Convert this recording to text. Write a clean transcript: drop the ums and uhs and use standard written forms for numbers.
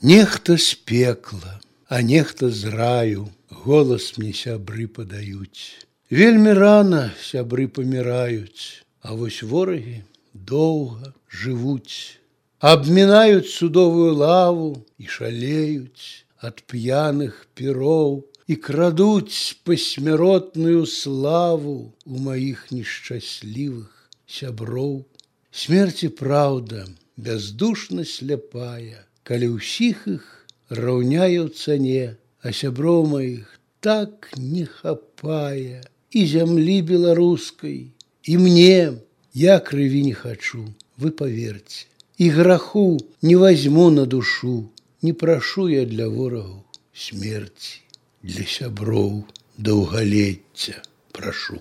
Нехта з пекла, а нехта з раю голас мне сябры падаюць. Вельмі рана сябры паміраюць, а вось ворагі доўга жывуць. Абмінаюць судовую лаву і шалеюць ад п'яных піроў і крадуць пасмяротную славу у маіх нешчаслівых сяброў. Смерць і праўда бяздушна сляпая, калі ўсіх іх раўняе ў цане, а сяброў маіх так не хапае. І зямлі беларускай, і мне я крыві не хачу, вы паверце. І граху не вазьму на душу, не прашу я для ворагаў смерці, для сяброў даўгалецця прашу.